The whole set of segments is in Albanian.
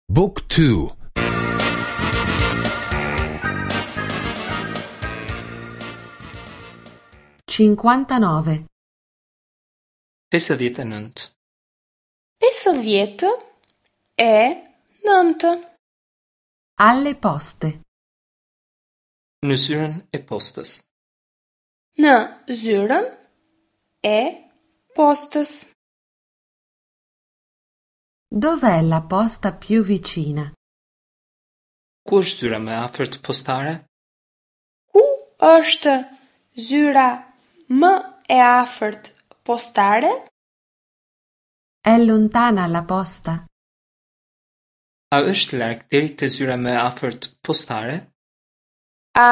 Book 2 59. 59. 59. Alle poste. Në zyrën e postës. Në zyrën e postës. Dov'è la posta più vicina? Ku është zyra më e afërt postare? Ku është zyra më e afërt postare? È lontana la posta? A është larg deri te zyra më e afërt postare? A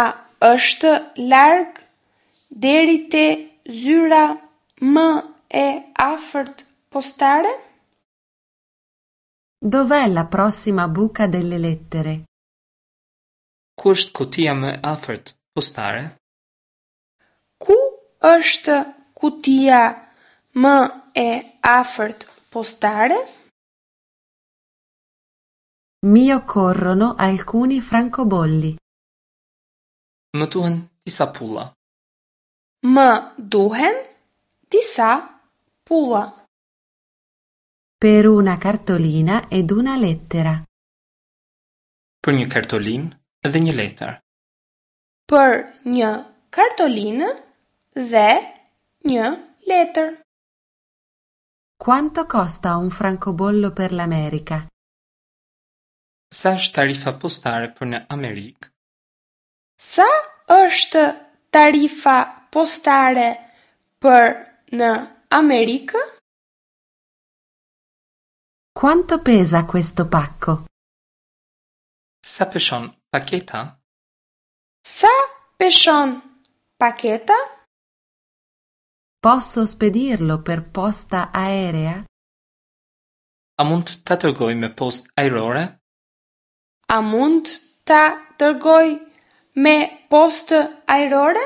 është larg deri te zyra më e afërt postare? Dov'è la prossima buca delle lettere? Ku është kutia më e afërt postare? Ku është kutia më e afërt postare? Mi occorrono alcuni francobolli. Më duhen disa pulla. Më duhen disa pulla. Per una cartolina ed una lettera. Për një kartolinë dhe një letër. Për një kartolinë dhe një letër. Quanto costa un francobollo per l'America? Sa është tarifa postare për në Amerikë? Sa është tarifa postare për në Amerikë? Quanto pesa questo pacco? Sa peshon paketa? Sa peshon paketa? Posso spedirlo per posta aerea? A mund ta dërgoj me postë ajrore? A mund ta dërgoj me postë ajrore?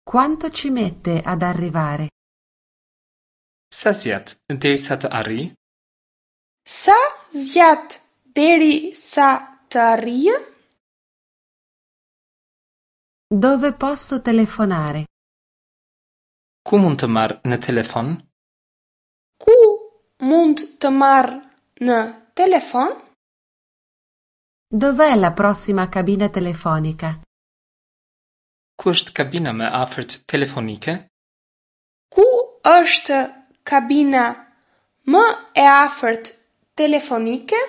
Quanto ci mette ad arrivare? Sa zgjat derisa të arrijë? Sa zgjat deri sa të arrijë? Dove posso telefonare? Ku mund të marr në telefon? Ku mund të marr në telefon? Dov'è la prossima cabina telefonica? Ku është kabina më e afërt telefonike? Ku është kabina më e afërt telefonike?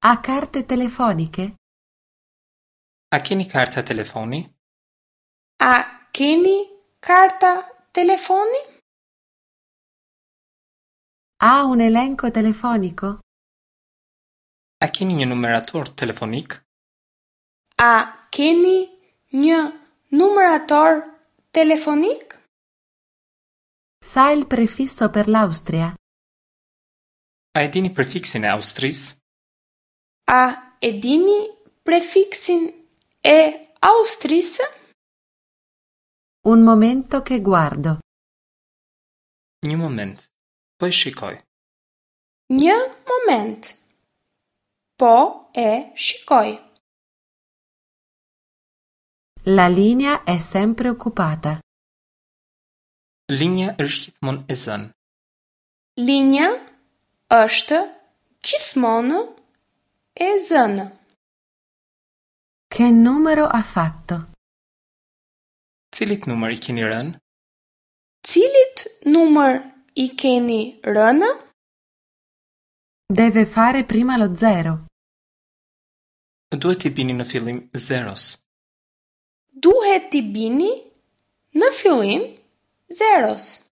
Ha carte telefoniche? A keni karta telefoni? A keni karta telefoni? Ha un elenco telefonico? A keni një numerator telefonik? A keni një numerator telefonik? Sa il prefisso per l'Austria? A e dini prefiksin e Austrisë? A e dini prefiksin e Austrisë? Un momento che guardo. Një moment, po e shikoj. Një moment. Po e shikoj. La linea è sempre occupata. Linja është gjithmonë e zënë. Linja është gjithmonë e zënë. Che numero ha fatto? Cilit numër i keni rënë? Cilit numër i keni rënë? Deve fare prima lo zero. Duhet t'i bini në fillim zeros. Duhet t'i bini në fillim zeros.